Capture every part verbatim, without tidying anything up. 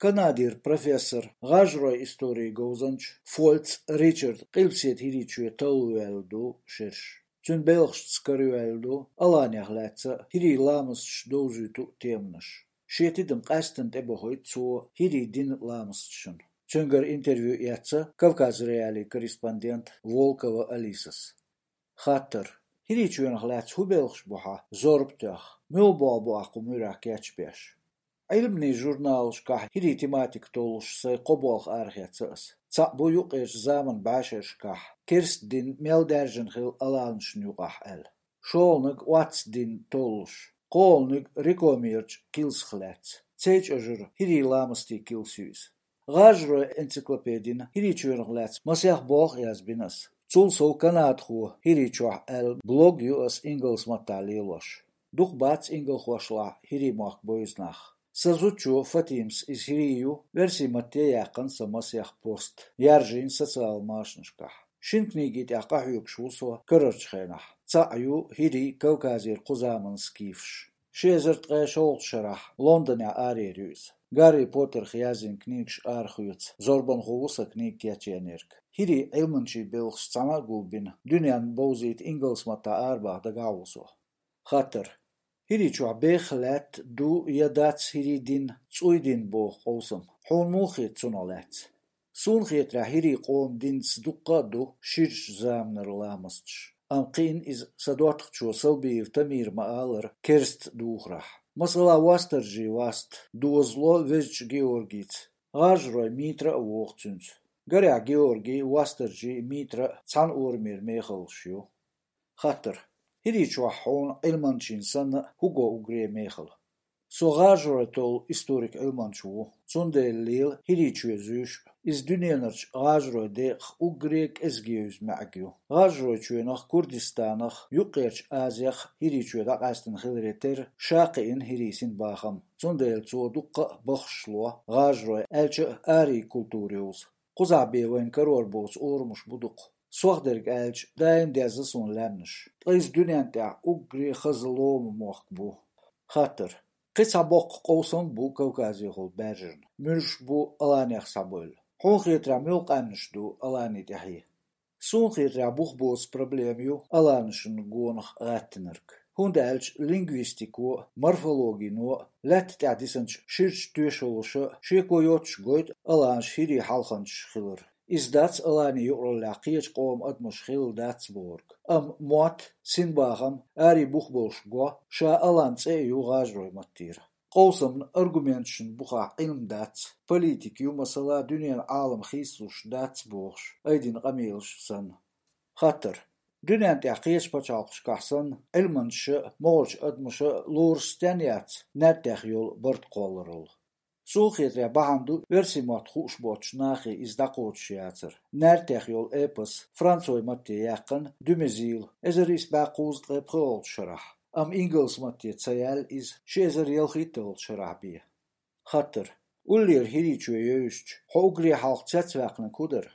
Канадера профессор, гӀажаройн историн говзанча Фольц Ричарда Къилбаседа ХӀирийчоь талла ваьлла ду шераш. Цуьнан белхашца карайоьлла ду Аланех лаьцна хӀирийн ламасташ довзуьйту теманаш. Шен тидам къаьсттина тӀебохуьйту цо хӀирийн динан ламасташна. Цуьнгара интервью эцна Кавказ.Реалии корреспондента Волкова Алисас. Хаттар: ХӀирийчоьнах лаьцна хӀун белхаш бу хьан зорба тоьхна? Муьлха болх бу ахь кху муьрехь кечбеш? Ӏилманийн журналашкахь хӀирийн тематика толлуш сайн кхо болх арахецна ас. Цхьаъ бу юккъерчу заманан бӀешерашкахь керста дин мел даьржина хилла Аланашна юкъахь аьлла. ШолгӀаниг оццу динна толлуш, кхоалгӀаниг рекламерчу килсах лаьцна. Цейчу Ӏожара хӀирийн ламастийн килс ю иза. ГӀажаройн энциклопедина ХӀирийчоьнах лаьцна масех болх а язбина ас. Цул сов «Канадхо хӀирийчохь» аьлла блог ю ас ингалс маттахь лелош. Дукха бац ингалхошлахь хӀирийн мохк бевза нах. Сан зудчо Фатимас, иза хӀирий ю, оьрсийн матте яьккхина сан масех пост, яржийна социал машанашкахь. Шина книги тӀехь къахьоьгуш ву со карарчу хенахь. Цхьаъ ю «ХӀирий Кавказера кхузаманан скифаш». Ши эзар ткъе шолгӀачу шарахь Лондонехь араяьлла ю иза. Гарри Поттерах язйина книгаш арахоьцу зорбанхо ву сан книга кечъеннарг. ХӀирийн Ӏилманчийн белхаш цхьаьна а гулбина, дуьненна бовзийта ингалс маттахь арабаха дагахь ву со. Хаттар: ХӀирийчохь беха лаьтта ду я дац хӀирийн дин, цӀуй дин боху къовсам? Хьуна муха хета цунах лаьцна? Суна хетарехь, хӀирийн къоман динца дуккха а ду ширачу заманара ламасташ. Амма кхиъна иза сан доттагӀчо Салбиев Тамира ма-аллара, керста духарехь. Масала, Вастаржий Васта дозало Везачу Георгийца. ГӀажарой Митра а вогӀу цуьнца. Гарехь, Георгий, Вастаржий, Митра цхьана орамера мехаллаш ю. Хаттар: ХӀирийчохь хьуна Ӏилманчина санна хӀун го уггаре а мехала? Со гӀажарой толлу историк-Ӏилманча ву. Цундела лела ХӀирийчоь зуьйш а. Иза дуьненарчу гӀажаройн декъах уггаре а кӀезиг евза маьӀиг ю. ГӀажаройчоьнах, Курдистанах, Юккъерчу Азех ХӀирийчоь дӀакъаьстина хиларе терра, ша кхиъна хӀирийн синбахам. Цундела цо дуккха а бахаш ло гӀажарой, аьлча а арийн культура йовза. Кхузахь бен вайна карор боцу орамаш бу дукха. Сох дерг аьлча, даим дезна суна лаьмнаш. Ткъа иза дуьнен тӀехь уггаре хаза лома мохк бу. Хаттар: кхин цхьа боккха къовсам а бу Кавказехула баьржина. Муьлш бу Аланех схьабевлла? Хьуна хетарехь, муьлха къаьмнаш ду Алани тӀаьхье? Суна хетарехь, бух боцу проблема ю аланашна гонах гӀаьттинарг. ХӀунда аьлча лингвистико а, морфологино а, лаьтта тӀехь дисинчу ширачу тоьшаллаша а шеко йоццуш гойту аланаш хӀирийн хьалханчаш хилар. Иза дац аланийн юкъараллехь кхечу къоман адамаш хилла дац бохург. Амма мотт, синбахам, арийн бух болуш го ша алан цӀе а ю гӀажаройн маттера. Къовсамна аргументашна бухахь Ӏилма дац, политика ю, масала, дуьненан Ӏалам хийцалуш дац бохуш, айдина къамелаш санна. Хаттар: дуьнен тӀехь кхечу пачхьалкхашкахь санна, Ӏилманчаша а, могӀарчу адамаша а лоруш стенна яц наьртех йолу барт кхолларалла? Суна хетарехь, бахьана ду оьрсийн мотт хууш боцчу нахе иза дӀакхочуш яцар. Наьртех йолу эпос францойн матте яьккхина Дюмезила эзар исс бӀе кхузткъе пхоьалгӀачу шарахь, амма ингалс матте ца яьлла иза ши эзар ялхитталгӀачу шарахь бен. Хаттар: уллера ХӀирийчоь евзича, хьо уггаре хьалха цецваьккхинарг хӀун дара?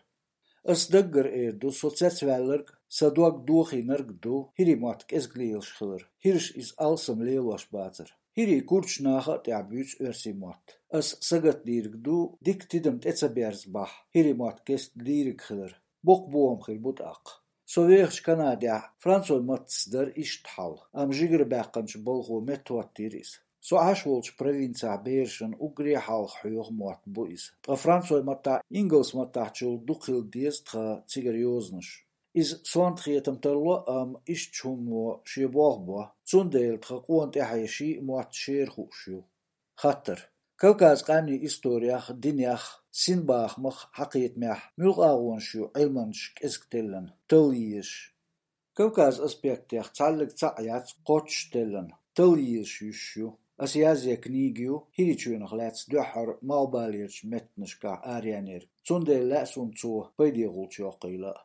Ас даггара эр ду, со цецваьлларг, сан дог дохийнарг ду хӀирийн мотт кӀезиг лелаш хилар. ХӀираш иза алсам лелош бацара. ХӀирийн курдаш наха а тӀехь буьйцу оьрсийн мотт. Ас сагатдийриг ду, дика тидам тӀе ца берзабахь, хӀирийн мотт кеста лийриг хилар. Боккха бохам хир бу тӀаккха. Со вехачу Канадехь францойн маттаца дара иштта хьал, амма жигара баьккхинчу балхо меттахӀоттийра иза. Со Ӏаш волчу провинцехь берашна уггаре хьалха хьоьху мотт бу иза. Ткъа францойн маттахь, ингалс маттахьчул дукха хила деза тхан цигара йозанаш. Иза сонта хетам тарло, амма иштта хӀумано шен болх бо, цундела тхан къона тӀаьхье шиъ мотт шера хууш ю. Хаттар: Кавказан къаьмнийн историх, динех, синбахамах хьан кхетамехь муьлха агӀонаш ю Ӏилманчаша кӀезиг теллина, талла езаш? Кавказан аспектех цхьаьллиг цхьаъ яц кхоччуш теллина, талла езаш юьсуш ю. Ас язъян книга ю ХӀирийчоьнах лаьцна дуьххьара малхбалерчу меттанашкахь араяьннарг, цундела лаьа суна цо пайдехула чӀогӀа йоккхийла а.